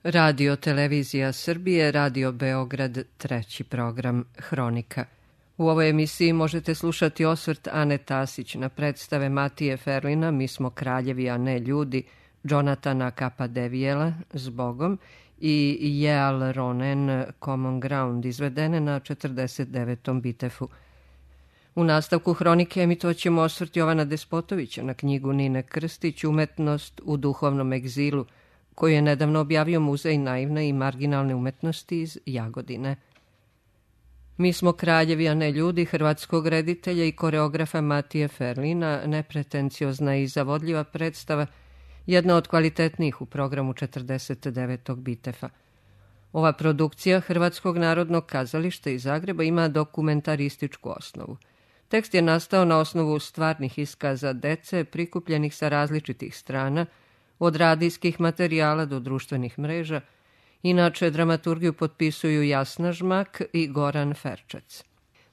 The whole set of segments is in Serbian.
Radio Televizija Srbije, Radio Beograd, treći program Hronika. U ovoj emisiji možete slušati osvrt Ane Tasić na predstave Matije Ferlina Mi smo kraljevi, a ne ljudi, Jonatana Capadevijela Zbogom i Jeal Ronen Common Ground, izvedene na 49. Bitefu. U nastavku Hronike emitoćemo osvrt Jovana Despotovića na knjigu Nine Krstić Umetnost u duhovnom egzilu, koju je nedavno objavio Muzej naivne i marginalne umetnosti iz Jagodine. Mi smo kraljevi, a ne ljudi, hrvatskog reditelja i koreografa Matije Ferlina, nepretenciozna i zavodljiva predstava, jedna od kvalitetnijih u programu 49. Bitefa. Ova produkcija Hrvatskog narodnog kazališta iz Zagreba ima dokumentarističku osnovu. Tekst je nastao na osnovu stvarnih iskaza dece prikupljenih sa različitih strana, od radijskih materijala do društvenih mreža. Inače, dramaturgiju potpisuju Jasna Žmak i Goran Ferčac.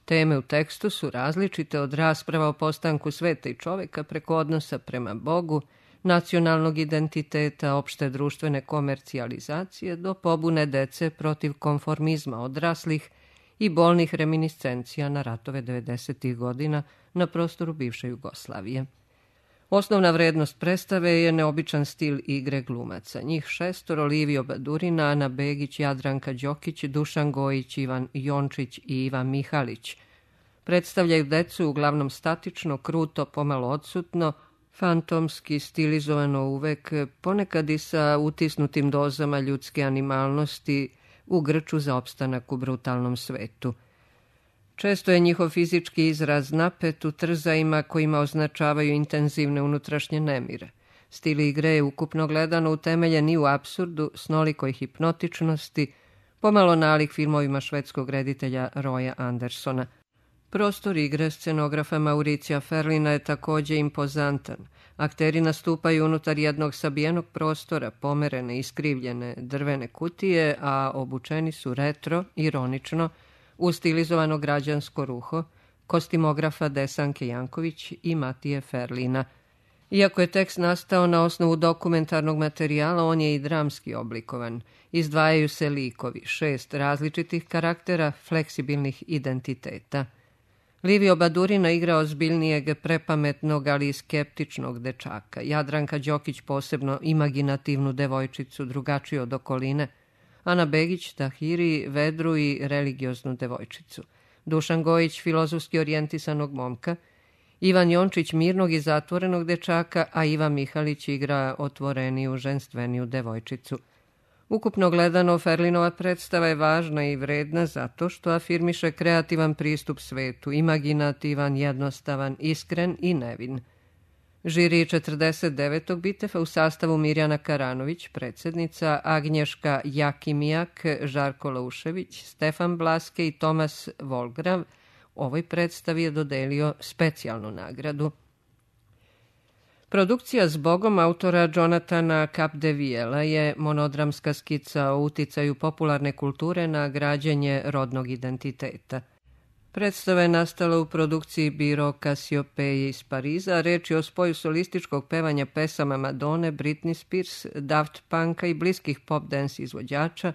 Teme u tekstu su različite, od rasprava o postanku sveta i čoveka preko odnosa prema Bogu, nacionalnog identiteta, opšte društvene komercijalizacije do pobune dece protiv konformizma odraslih i bolnih reminiscencija na ratove 90. godina na prostoru bivše Jugoslavije. Osnovna vrednost predstave je neobičan stil igre glumaca. Njih šestor: Livio Badurina, Ana Begić, Jadranka Đokić, Dušan Gojić, Ivan Jončić i Ivan Mihalić. Predstavljaju decu uglavnom statično, kruto, pomalo odsutno, fantomski, stilizovano uvek, ponekad i sa utisnutim dozama ljudske animalnosti u grču za opstanak u brutalnom svetu. Često je njihov fizički izraz napet u trzajima kojima označavaju intenzivne unutrašnje nemire. Stil igre je ukupno gledano utemeljen i u apsurdu, snolikoj hipnotičnosti, pomalo nalik filmovima švedskog reditelja Roya Andersona. Prostor igre scenografa Mauricija Ferlina je takođe impozantan. Akteri nastupaju unutar jednog sabijenog prostora, pomerene i iskrivljene drvene kutije, a obučeni su retro, ironično, u stilizovano građansko ruho kostimografa Desanke Janković i Matije Ferlina. Iako je tekst nastao na osnovu dokumentarnog materijala, on je i dramski oblikovan. Izdvajaju se likovi, 6 različitih karaktera, fleksibilnih identiteta. Livio Badurina igra ozbiljnijeg, prepametnog, ali i skeptičnog dečaka. Jadranka Đokić posebno imaginativnu devojčicu, drugačiju od okoline. Ana Begić Tahiri, vedru i religioznu devojčicu. Dušan Gojić filozofski orijentisanog momka. Ivan Jončić mirnog i zatvorenog dečaka, a Ivan Mihalić igra otvoreniju, ženstveniju devojčicu. Ukupno gledano, Ferlinova predstava je važna i vredna zato što afirmiše kreativan pristup svetu, imaginativan, jednostavan, iskren i nevin. Žiri 49. Bitefa u sastavu Mirjana Karanović, predsjednica, Agnješka Jakimijak, Žarko Laušević, Stefan Blaske i Tomas Volgrav ovoj predstavi je dodelio specijalnu nagradu. Produkcija Zbogom autora Jonatana Capadevijela je monodramska skica o uticaju popularne kulture na građenje rodnog identiteta. Predstava je nastala u produkciji Biro Cassiopeia iz Pariza, reč je o spoju solističkog pevanja pesama Madone, Britney Spears, Daft Punka i bliskih pop dance izvođača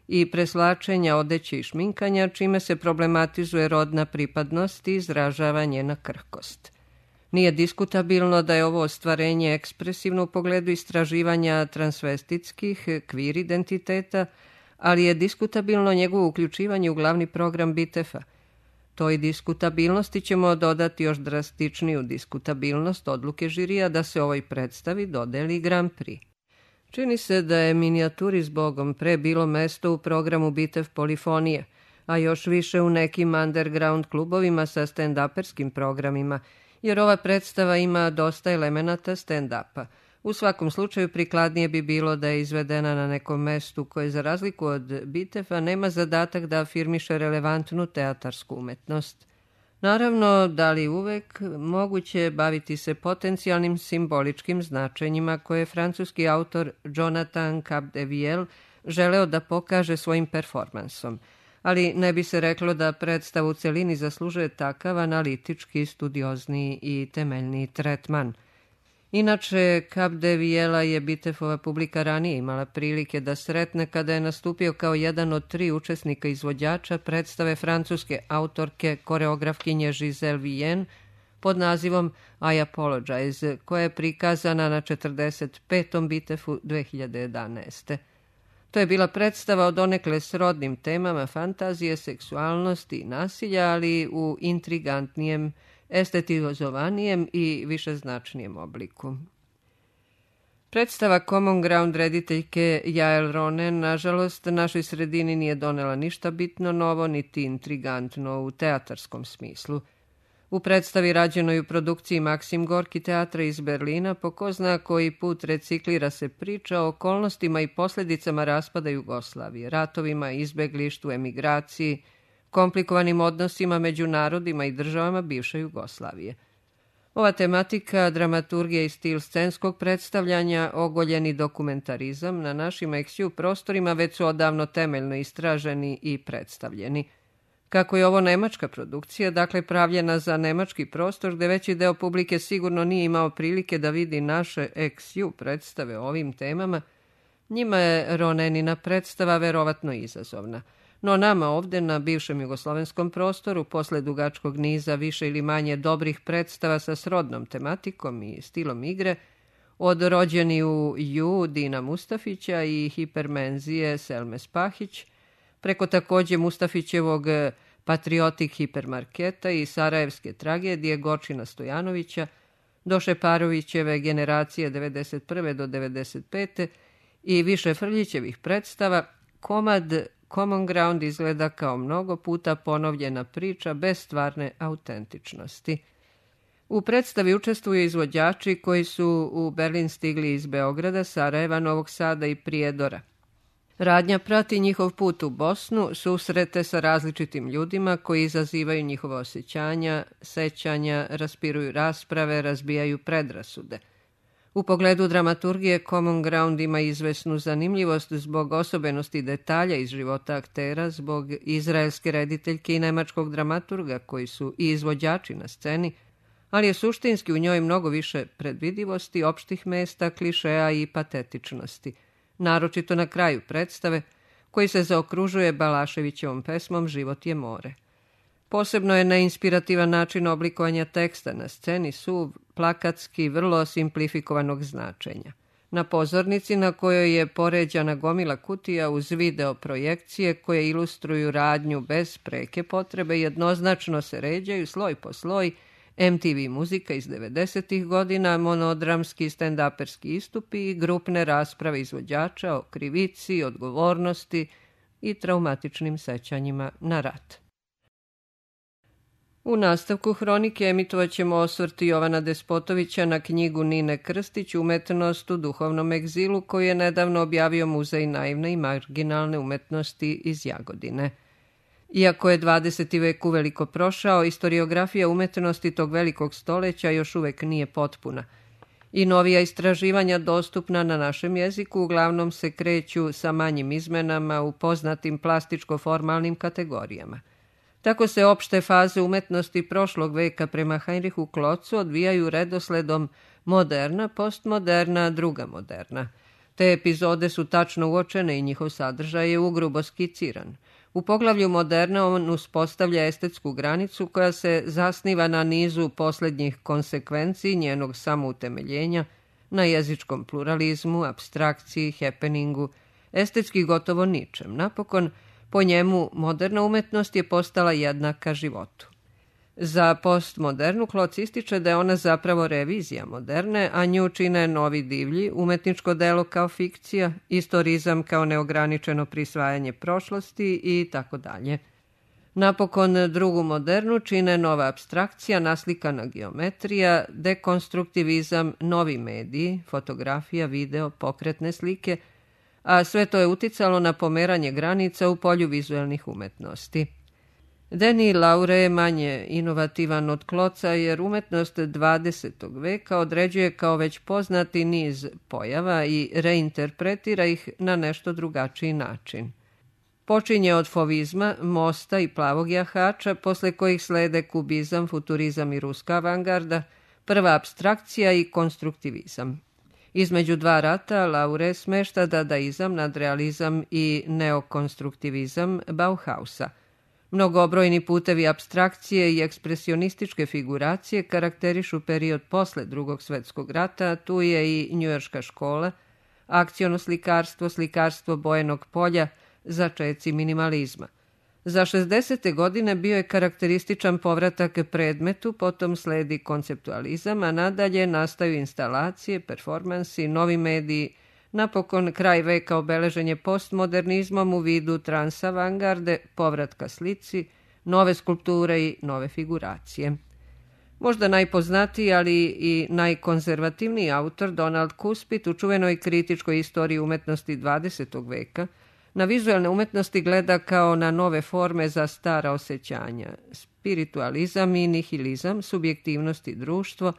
i preslačenja odeće i šminkanja, čime se problematizuje rodna pripadnost i izražava njena krhkost. Nije diskutabilno da je ovo ostvarenje ekspresivno u pogledu istraživanja transvestitskih, kvir identiteta, ali je diskutabilno njegovo uključivanje u glavni program Bitefa. Toj diskutabilnosti ćemo dodati još drastičniju diskutabilnost odluke žirija da se ovoj predstavi dodeli Grand Prix. Čini se da je minijaturi Zbogom pre bilo mesto u programu Bitev polifonije, a još više u nekim underground klubovima sa stand-uperskim programima, jer ova predstava ima dosta elemenata stand-upa. U svakom slučaju prikladnije bi bilo da je izvedena na nekom mestu koje, za razliku od Bitefa, nema zadatak da afirmiše relevantnu teatarsku umetnost. Naravno, da li uvek, moguće je baviti se potencijalnim simboličkim značenjima koje je francuski autor Jonathan Capadevijel želeo da pokaže svojim performansom, ali ne bi se reklo da predstava u celini zaslužuje takav analitički, studiozniji i temeljniji tretman. Inače, Cap de Viela je Bitefova publika ranije imala prilike da sretne kada je nastupio kao jedan od 3 učesnika izvođača predstave francuske autorke koreografkinje Giselle Vienne pod nazivom I Apologize, koja je prikazana na 45. Bitefu 2011. To je bila predstava o donekle srodnim temama fantazije, seksualnosti i nasilja, ali u intrigantnijem, estetizovanijem i višeznačnijem obliku. Predstava Common Ground rediteljke Jael Ronen, nažalost, našoj sredini nije donela ništa bitno novo, niti intrigantno u teatarskom smislu. U predstavi rađenoj u produkciji Maksim Gorki teatra iz Berlina po ko zna koji put reciklira se priča o okolnostima i posljedicama raspada Jugoslavije, ratovima, izbeglištvu, emigraciji, komplikovanim odnosima među narodima i državama bivše Jugoslavije. Ova tematika, dramaturgija i stil scenskog predstavljanja, ogoljeni dokumentarizam na našim ex-ju prostorima već su odavno temeljno istraženi i predstavljeni. Kako je ovo nemačka produkcija, dakle pravljena za nemački prostor, gde veći deo publike sigurno nije imao prilike da vidi naše ex-ju predstave o ovim temama, njima je Ronenina predstava verovatno izazovna. No nama ovde na bivšem jugoslovenskom prostoru, posle dugačkog niza više ili manje dobrih predstava sa srodnom tematikom i stilom igre, od Rođeni u Ju Dina Mustafića i Hipermenzije Selme Spahić, preko takođe Mustafićevog Patriotik hipermarketa i Sarajevske tragedije Gorčina Stojanovića, do Šeparovićeve Generacije 91. do 95. i više Frljićevih predstava, komad Common Ground izgleda kao mnogo puta ponovljena priča bez stvarne autentičnosti. U predstavi učestvuju izvođači koji su u Berlin stigli iz Beograda, Sarajeva, Novog Sada i Prijedora. Radnja prati njihov put u Bosnu, susrete sa različitim ljudima koji izazivaju njihova osjećanja, sećanja, raspiruju rasprave, razbijaju predrasude. U pogledu dramaturgije Common Ground ima izvesnu zanimljivost zbog osobenosti detalja iz života aktera, zbog izraelske rediteljke i nemačkog dramaturga koji su i izvođači na sceni, ali je suštinski u njoj mnogo više predvidivosti, opštih mesta, klišeja i patetičnosti, naročito na kraju predstave, koji se zaokružuje Balaševićevom pesmom Život je more. Posebno je neinspirativan način oblikovanja teksta na sceni suv, plakatski, vrlo simplifikovanog značenja. Na pozornici na kojoj je poređana gomila kutija uz video projekcije koje ilustruju radnju bez preke potrebe, jednoznačno se ređaju sloj po sloj MTV muzika iz 90. godina, monodramski stand-uperski istupi i grupne rasprave izvođača o krivici, odgovornosti i traumatičnim sećanjima na rat. U nastavku hronike emitovat ćemo osvrt Jovana Despotovića na knjigu Nine Krstić Umetnost u duhovnom egzilu, koju je nedavno objavio Muzej naivne i marginalne umetnosti iz Jagodine. Iako je 20. vek uveliko prošao, istoriografija umetnosti tog velikog stoleća još uvek nije potpuna. I novija istraživanja dostupna na našem jeziku uglavnom se kreću sa manjim izmenama u poznatim plastičko-formalnim kategorijama. Tako se opšte faze umetnosti prošlog veka prema Heinrichu Klotzu odvijaju redosledom moderna, postmoderna, druga moderna. Te epizode su tačno uočene i njihov sadržaj je ugrubo skiciran. U poglavlju moderna on uspostavlja estetsku granicu koja se zasniva na nizu posljednjih konsekvenciji njenog samoutemeljenja, na jezičkom pluralizmu, apstrakciji, happeningu, estetski gotovo ničem. Napokon, po njemu, moderna umetnost je postala jednaka životu. Za postmodernu Kloc ističe da je ona zapravo revizija moderne, a nju čine novi divlji, umetničko delo kao fikcija, istorizam kao neograničeno prisvajanje prošlosti i tako dalje. Napokon drugu modernu čine nova apstrakcija, naslikana geometrija, dekonstruktivizam, novi mediji, fotografija, video, pokretne slike, a sve to je uticalo na pomeranje granica u polju vizuelnih umetnosti. Denis Laure je manje inovativan od Kloca jer umetnost 20. veka određuje kao već poznati niz pojava i reinterpretira ih na nešto drugačiji način. Počinje od fovizma, mosta i plavog jahača, posle kojih slede kubizam, futurizam i ruska avangarda, prva apstrakcija i konstruktivizam. Između dva rata Laure smešta dadaizam, nadrealizam i neokonstruktivizam Bauhausa. Mnogobrojni putevi apstrakcije i ekspresionističke figuracije karakterišu period posle Drugog svetskog rata, tu je i njujorška škola, akciono slikarstvo, slikarstvo bojenog polja, začeci minimalizma. Za 60. godine bio je karakterističan povratak predmetu, potom sledi konceptualizam, a nadalje nastaju instalacije, performansi, novi mediji, napokon kraj veka obeležen je postmodernizmom u vidu transavangarde, povratka slici, nove skulpture i nove figuracije. Možda najpoznatiji, ali i najkonzervativniji autor Donald Kuspit u čuvenoj kritičkoj istoriji umetnosti 20. veka na vizualne umetnosti gleda kao na nove forme za stara osjećanja. Spiritualizam i nihilizam, subjektivnost i društvo,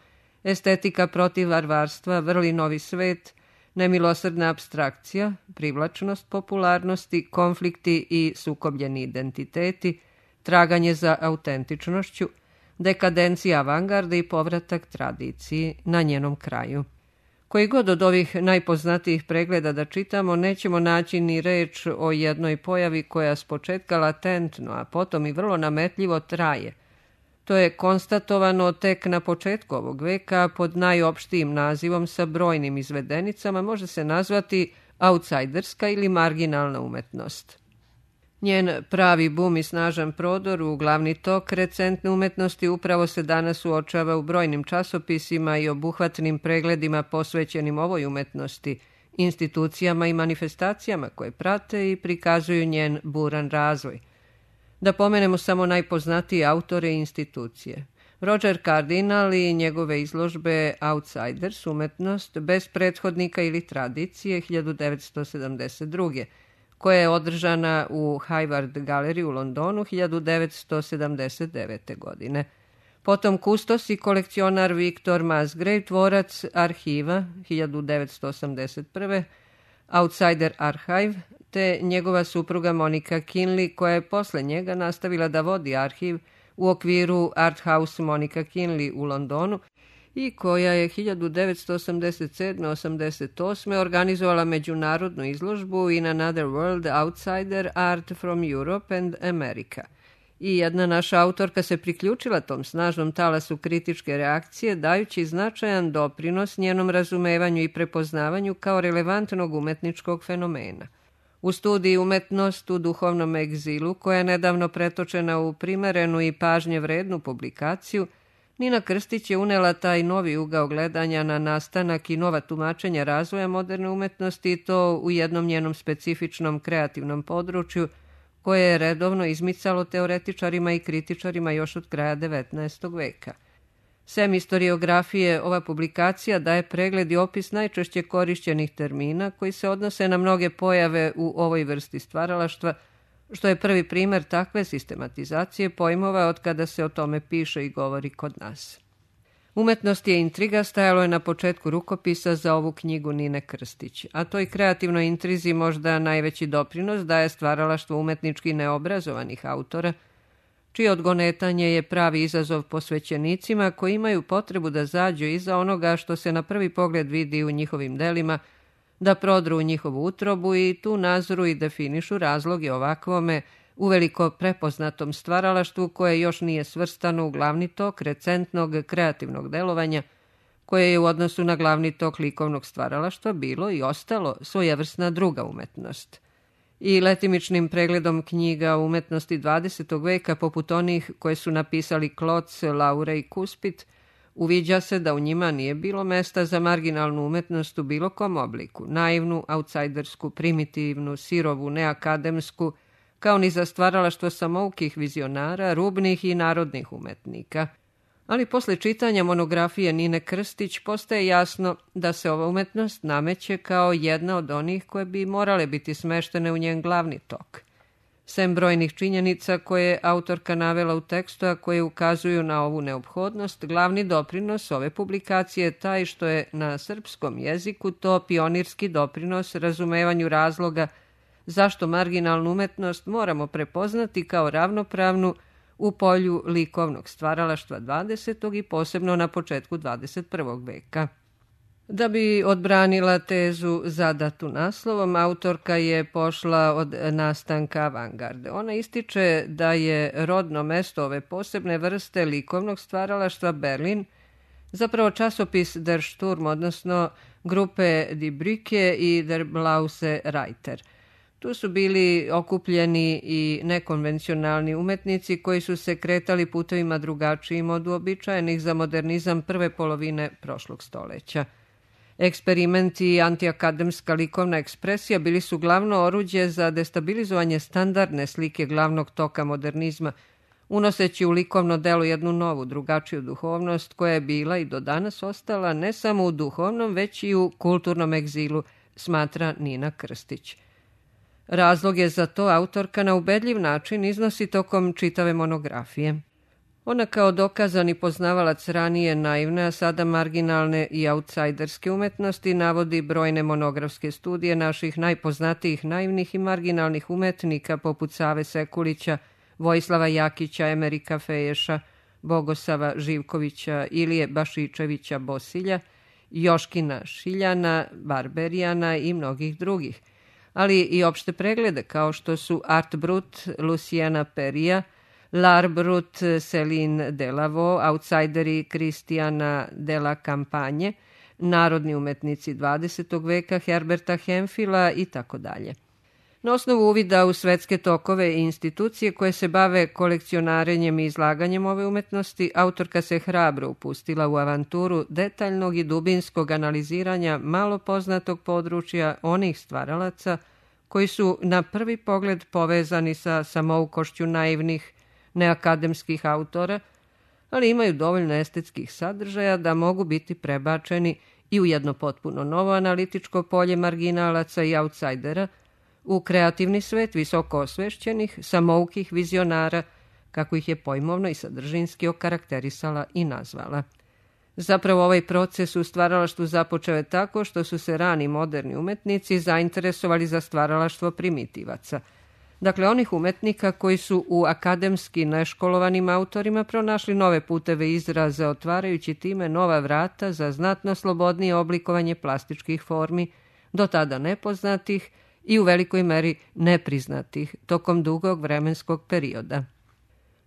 estetika protiv varvarstva, vrli novi svet, nemilosrdna apstrakcija, privlačnost popularnosti, konflikti i sukobljeni identiteti, traganje za autentičnošću, dekadencija avangarde i povratak tradiciji na njenom kraju. Koji god od ovih najpoznatijih pregleda da čitamo, nećemo naći ni reč o jednoj pojavi koja s početka latentno, a potom i vrlo nametljivo traje. To je konstatovano tek na početku ovog veka pod najopštijim nazivom sa brojnim izvedenicama, može se nazvati outsiderska ili marginalna umetnost. Njen pravi bum i snažan prodor u glavni tok recentne umetnosti upravo se danas uočava u brojnim časopisima i obuhvatnim pregledima posvećenim ovoj umetnosti, institucijama i manifestacijama koje prate i prikazuju njen buran razvoj. Da pomenemo samo najpoznatije autore i institucije. Roger Cardinal i njegove izložbe Outsiders, umetnost bez prethodnika ili tradicije 1972. koja je održana u Hayward Gallery u Londonu 1979. godine. Potom kustos i kolekcionar Victor Musgrave, tvorac arhiva 1981. Outsider Archive, te njegova supruga Monica Kinley, koja je posle njega nastavila da vodi arhiv u okviru Art House Monica Kinley u Londonu i koja je 1987-88. organizovala međunarodnu izložbu In Another World Outsider Art from Europe and America. I jedna naša autorka se priključila tom snažnom talasu kritičke reakcije, dajući značajan doprinos njenom razumevanju i prepoznavanju kao relevantnog umetničkog fenomena. U studiji Umetnost u duhovnom egzilu, koja je nedavno pretočena u primerenu i pažnje vrednu publikaciju, Nina Krstić je unela taj novi ugao gledanja na nastanak i nova tumačenja razvoja moderne umetnosti i to u jednom njenom specifičnom kreativnom području koje je redovno izmicalo teoretičarima i kritičarima još od kraja 19. veka. Sem istoriografije, ova publikacija daje pregled i opis najčešće korišćenih termina koji se odnose na mnoge pojave u ovoj vrsti stvaralaštva, što je prvi primer takve sistematizacije pojmova od kada se o tome piše i govori kod nas. Umetnost je intriga stajalo je na početku rukopisa za ovu knjigu Nine Krstić, a toj kreativnoj intrizi možda najveći doprinos daje stvaralaštvo umetnički neobrazovanih autora, čije odgonetanje je pravi izazov posvećenicima koji imaju potrebu da zađu iza onoga što se na prvi pogled vidi u njihovim delima, da prodru u njihovu utrobu i tu nazoru i definišu razloge ovakvome uveliko prepoznatom stvaralaštvu koje još nije svrstano u glavni tok recentnog kreativnog delovanja, koje je u odnosu na glavni tok likovnog stvaralaštva bilo i ostalo svojevrsna druga umetnost. I letimičnim pregledom knjiga o umetnosti 20. veka, poput onih koje su napisali Kloc, Laure i Kuspit, uviđa se da u njima nije bilo mesta za marginalnu umetnost u bilo kom obliku, naivnu, outsidersku, primitivnu, sirovu, neakademsku, kao ni za stvaralaštvo samoukih vizionara, rubnih i narodnih umetnika. Ali posle čitanja monografije Nine Krstić postaje jasno da se ova umetnost nameće kao jedna od onih koje bi morale biti smeštene u njen glavni tok. Sem brojnih činjenica koje je autorka navela u tekstu, a koje ukazuju na ovu neophodnost, glavni doprinos ove publikacije je taj što je na srpskom jeziku to pionirski doprinos razumevanju razloga zašto marginalnu umetnost moramo prepoznati kao ravnopravnu u polju likovnog stvaralaštva 20. i posebno na početku 21. veka. Da bi odbranila tezu zadatu naslovom, autorka je pošla od nastanka avangarde. Ona ističe da je rodno mesto ove posebne vrste likovnog stvaralaštva Berlin zapravo časopis Der Sturm, odnosno grupe Die Brücke i Der Blause Reiter. Tu su bili okupljeni i nekonvencionalni umetnici koji su se kretali putevima drugačijim od uobičajenih za modernizam prve polovine prošlog stoleća. Eksperimenti i antiakademska likovna ekspresija bili su glavno oruđe za destabilizovanje standardne slike glavnog toka modernizma, unoseći u likovno delo jednu novu, drugačiju duhovnost koja je bila i do danas ostala ne samo u duhovnom, već i u kulturnom egzilu, smatra Nina Krstić. Razlog je za to autorka na ubedljiv način iznosi tokom čitave monografije. Ona kao dokazani poznavalac ranije naivne, a sada marginalne i autsajderske umetnosti navodi brojne monografske studije naših najpoznatijih naivnih i marginalnih umetnika poput Save Sekulića, Vojislava Jakića, Emerika Feješa, Bogosava Živkovića, Ilije Bašičevića Bosilja, Joškina Šiljana, Barberijana i mnogih drugih, ali i opšte preglede kao što su Art Brut, Luciana Perija, L'Art Brut, Céline Delavaux, outsideri Kristijana de la Campagne, narodni umetnici 20. veka Herberta Hemfila i tako dalje. Na osnovu uvida u svetske tokove i institucije koje se bave kolekcionarenjem i izlaganjem ove umetnosti, autorka se hrabro upustila u avanturu detaljnog i dubinskog analiziranja malo poznatog područja onih stvaralaca koji su na prvi pogled povezani sa samoukošću naivnih, neakademskih autora, ali imaju dovoljno estetskih sadržaja da mogu biti prebačeni i u jedno potpuno novo analitičko polje marginalaca i outsajdera, u kreativni svet visoko osvešćenih, samoukih vizionara, kako ih je pojmovno i sadržinski okarakterisala i nazvala. Zapravo ovaj proces u stvaralaštvu započeo je tako što su se rani moderni umetnici zainteresovali za stvaralaštvo primitivaca. Dakle, onih umetnika koji su u akademski neškolovanim autorima pronašli nove puteve izraza, otvarajući time nova vrata za znatno slobodnije oblikovanje plastičkih formi, do tada nepoznatih i u velikoj meri nepriznatih tokom dugog vremenskog perioda.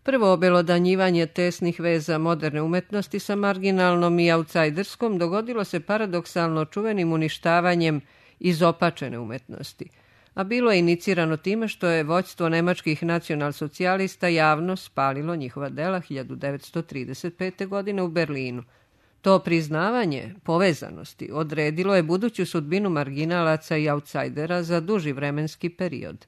Prvo obelodanjivanje tesnih veza moderne umetnosti sa marginalnom i outsajderskom dogodilo se paradoksalno čuvenim uništavanjem izopačene umetnosti, a bilo je inicirano time što je vođstvo nemačkih nacionalsocijalista javno spalilo njihova dela 1935. godine u Berlinu. To priznavanje povezanosti odredilo je buduću sudbinu marginalaca i outsajdera za duži vremenski period.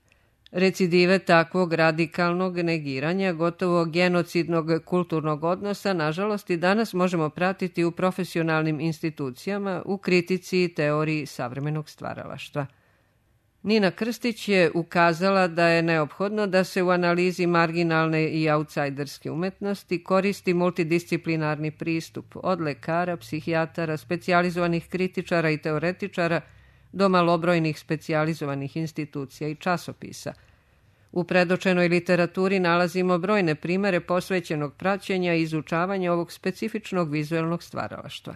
Recidive takvog radikalnog negiranja, gotovo genocidnog kulturnog odnosa, nažalost i danas možemo pratiti u profesionalnim institucijama u kritici i teoriji savremenog stvaralaštva. Nina Krstić je ukazala da je neophodno da se u analizi marginalne i outsajderske umetnosti koristi multidisciplinarni pristup od lekara, psihijatara, specijalizovanih kritičara i teoretičara do malobrojnih specijalizovanih institucija i časopisa. U predočenoj literaturi nalazimo brojne primere posvećenog praćenja i izučavanja ovog specifičnog vizuelnog stvaralaštva.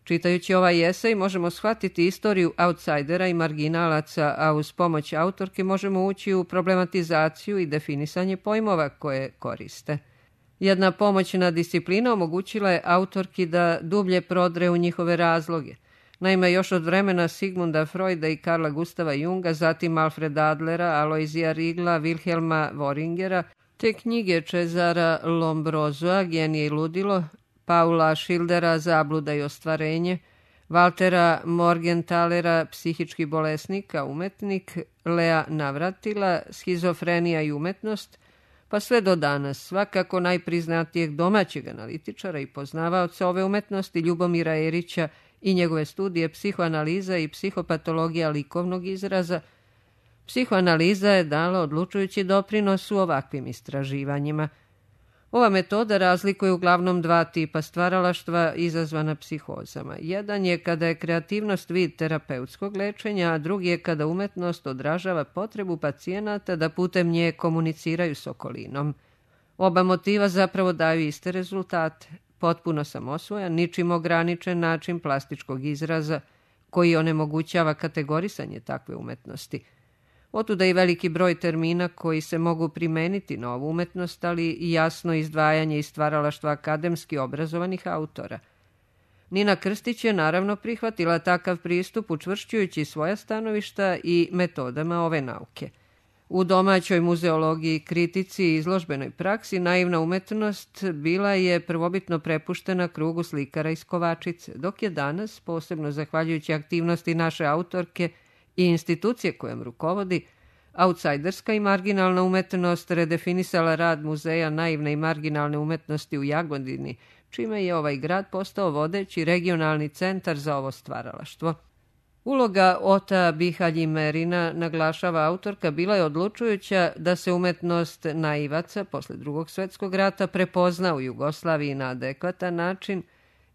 Čitajući ovaj esej možemo shvatiti istoriju outsajdera i marginalaca, a uz pomoć autorke možemo ući u problematizaciju i definisanje pojmova koje koriste. Jedna pomoćna disciplina omogućila je autorki da dublje prodre u njihove razloge. Naime, još od vremena Sigmunda Freuda i Karla Gustava Junga, zatim Alfreda Adlera, Aloizija Rigla, Wilhelma Worringera, te knjige Cezara Lombrosoa, Genije i ludilo, Paula Schildera, Zabluda i ostvarenje, Valtera Morgentalera, Psihički bolesnik, umetnik, Lea Navratila, Schizofrenija i umetnost, pa sve do danas svakako najpriznatijeg domaćeg analitičara i poznavaoca ove umetnosti Ljubomira Erića i njegove studije Psihoanaliza i psihopatologija likovnog izraza. Psihoanaliza je dala odlučujući doprinos u ovakvim istraživanjima. Ova metoda razlikuje uglavnom dva tipa stvaralaštva izazvana psihozama. Jedan je kada je kreativnost vid terapeutskog lečenja, a drugi je kada umetnost odražava potrebu pacijenata da putem nje komuniciraju s okolinom. Oba motiva zapravo daju iste rezultate. Potpuno samosvojan, ničim ograničen način plastičkog izraza koji onemogućava kategorisanje takve umetnosti. Otuda i veliki broj termina koji se mogu primeniti na ovu umetnost, ali i jasno izdvajanje i stvaralaštva akademski obrazovanih autora. Nina Krstić je naravno prihvatila takav pristup učvršćujući svoja stanovišta i metodama ove nauke. U domaćoj muzeologiji, kritici i izložbenoj praksi naivna umetnost bila je prvobitno prepuštena krugu slikara iz Kovačice, dok je danas, posebno zahvaljujući aktivnosti naše autorke i institucije kojom rukovodi, outsiderska i marginalna umetnost redefinisala rad Muzeja naivne i marginalne umetnosti u Jagodini, čime je ovaj grad postao vodeći regionalni centar za ovo stvaralaštvo. Uloga Ota Bihalji-Merina, naglašava autorka, bila je odlučujuća da se umetnost naivaca posle Drugog svjetskog rata prepozna u Jugoslaviji na adekvatan način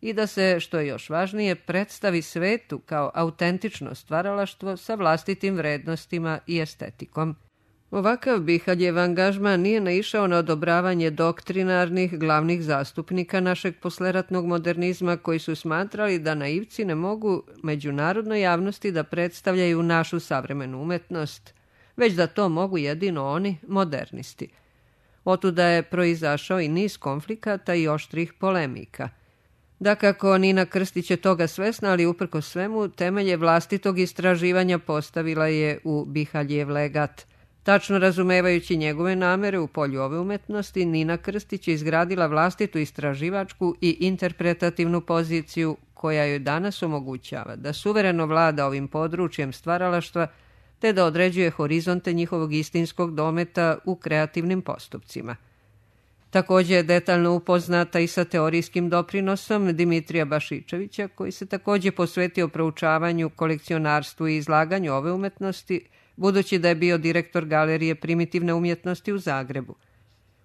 i da se, što je još važnije, predstavi svetu kao autentično stvaralaštvo sa vlastitim vrednostima i estetikom. Ovakav Bihaljev angažman nije naišao na odobravanje doktrinarnih glavnih zastupnika našeg posleratnog modernizma koji su smatrali da naivci ne mogu međunarodnoj javnosti da predstavljaju našu savremenu umetnost, već da to mogu jedino oni, modernisti. Otuda je proizašao i niz konflikata i oštrih polemika. Dakako, Nina Krstić je toga svesna, ali uprkos svemu temelje vlastitog istraživanja postavila je u Bihaljev legat. Tačno razumevajući njegove namere u polju ove umetnosti, Nina Krstić je izgradila vlastitu istraživačku i interpretativnu poziciju koja joj danas omogućava da suvereno vlada ovim područjem stvaralaštva te da određuje horizonte njihovog istinskog dometa u kreativnim postupcima. Također je detaljno upoznata i sa teorijskim doprinosom Dimitrija Bašičevića, koji se također posvetio proučavanju, kolekcionarstvu i izlaganju ove umetnosti, budući da je bio direktor Galerije primitivne umjetnosti u Zagrebu.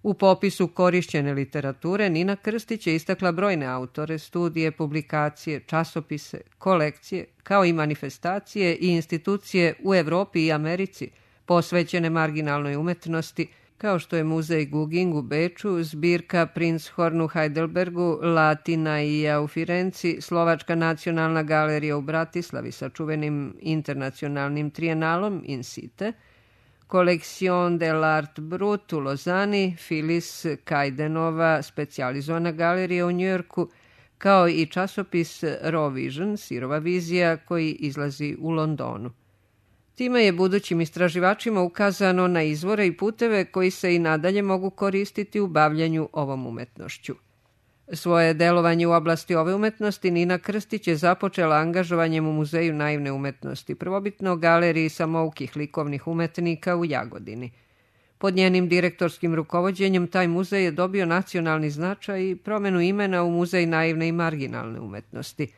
U popisu korišćene literature Nina Krstić je istakla brojne autore, studije, publikacije, časopise, kolekcije, kao i manifestacije i institucije u Evropi i Americi posvećene marginalnoj umetnosti, kao što je Muzej Guging u Beču, zbirka Prinzhorn u Heidelbergu, Latinaija u Firenci, Slovačka nacionalna galerija u Bratislavi sa čuvenim internacionalnim trijenalom In Site, Collection de l'Art Brut u Lozani, Filis Kajdenova specijalizovana galerija u Njujorku, kao i časopis Raw Vision, Sirova vizija, koji izlazi u Londonu. Time je budućim istraživačima ukazano na izvore i puteve koji se i nadalje mogu koristiti u bavljanju ovom umetnošću. Svoje delovanje u oblasti ove umetnosti Nina Krstić je započela angažovanjem u Muzeju naivne umetnosti, prvobitno galeriji samoukih likovnih umetnika u Jagodini. Pod njenim direktorskim rukovođenjem taj muzej je dobio nacionalni značaj i promenu imena u Muzej naivne i marginalne umetnosti.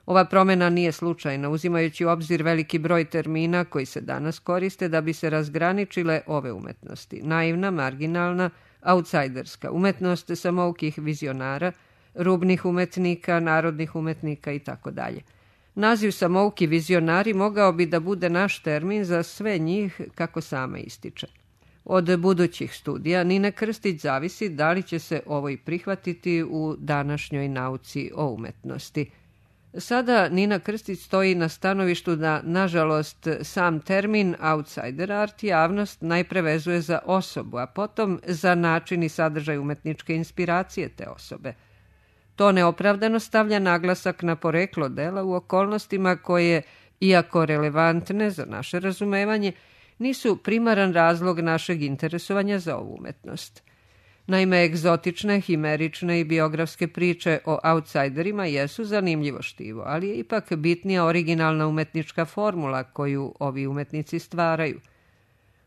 Ova promjena nije slučajna, uzimajući u obzir veliki broj termina koji se danas koriste da bi se razgraničile ove umetnosti. Naivna, marginalna, outsiderska, umetnost samoukih vizionara, rubnih umetnika, narodnih umetnika itd. Naziv samouki vizionari mogao bi da bude naš termin za sve njih, kako sama ističe. Od budućih studija Nine Krstić zavisi da li će se ovo i prihvatiti u današnjoj nauci o umetnosti. Sada Nina Krstić stoji na stanovištu da, nažalost, sam termin outsider art javnost najpre vezuje za osobu, a potom za način i sadržaj umetničke inspiracije te osobe. To neopravdano stavlja naglasak na poreklo dela u okolnostima koje, iako relevantne za naše razumevanje, nisu primaran razlog našeg interesovanja za ovu umetnost. Naime, egzotične, himerične i biografske priče o outsiderima jesu zanimljivo štivo, ali je ipak bitnija originalna umetnička formula koju ovi umetnici stvaraju.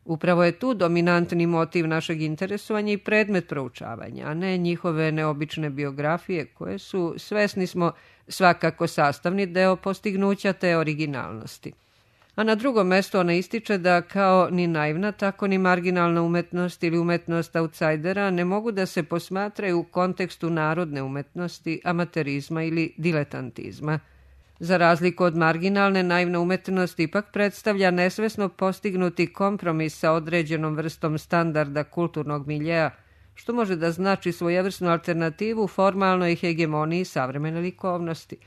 Upravo je tu dominantni motiv našeg interesovanja i predmet proučavanja, a ne njihove neobične biografije koje su, svesni smo, svakako sastavni deo postignuća te originalnosti. A na drugom mjestu ona ističe da kao ni naivna, tako ni marginalna umetnost ili umetnost outsidera ne mogu da se posmatraju u kontekstu narodne umetnosti, amaterizma ili diletantizma. Za razliku od marginalne, naivna umetnost ipak predstavlja nesvesno postignuti kompromis sa određenom vrstom standarda kulturnog miljeja, što može da znači svojevrsnu alternativu formalnoj hegemoniji savremene likovnosti.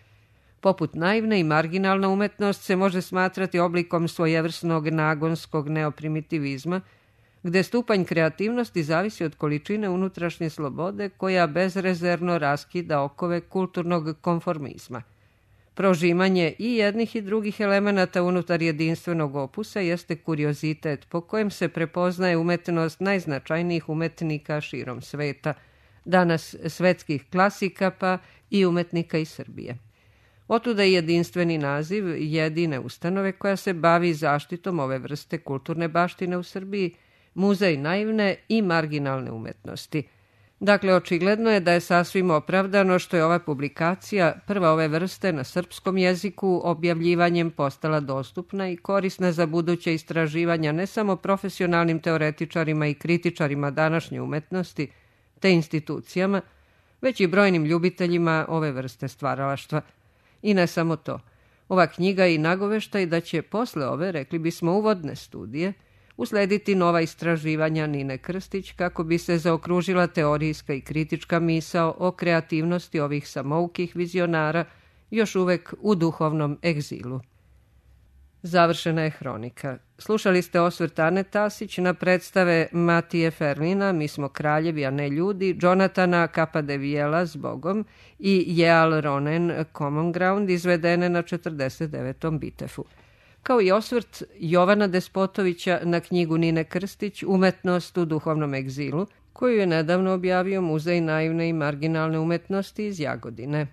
Poput naivne i marginalna umetnost se može smatrati oblikom svojevrsnog nagonskog neoprimitivizma, gde stupanj kreativnosti zavisi od količine unutrašnje slobode koja bezrezervno raskida okove kulturnog konformizma. Prožimanje i jednih i drugih elemenata unutar jedinstvenog opusa jeste kuriozitet po kojem se prepoznaje umetnost najznačajnijih umetnika širom sveta, danas svetskih klasika pa i umetnika iz Srbije. Otuda je jedinstveni naziv jedine ustanove koja se bavi zaštitom ove vrste kulturne baštine u Srbiji, Muzej naivne i marginalne umetnosti. Dakle, očigledno je da je sasvim opravdano što je ova publikacija, prva ove vrste na srpskom jeziku, objavljivanjem postala dostupna i korisna za buduće istraživanja ne samo profesionalnim teoretičarima i kritičarima današnje umetnosti, te institucijama, već i brojnim ljubiteljima ove vrste stvaralaštva. I ne samo to. Ova knjiga je i nagoveštaj da će posle ove, rekli bismo, uvodne studije, uslediti nova istraživanja Nine Krstić kako bi se zaokružila teorijska i kritička misao o kreativnosti ovih samoukih vizionara još uvek u duhovnom egzilu. Završena je hronika. Slušali ste osvrt Ane Tasić na predstave Matije Ferlina, Mi smo kraljevi, a ne ljudi, Jonatana Capadevijela, Zbogom i Jeal Ronen, Common Ground, izvedene na 49. Bitefu. Kao i osvrt Jovana Despotovića na knjigu Nine Krstić Umetnost u duhovnom egzilu, koju je nedavno objavio Muzej naivne i marginalne umetnosti iz Jagodine.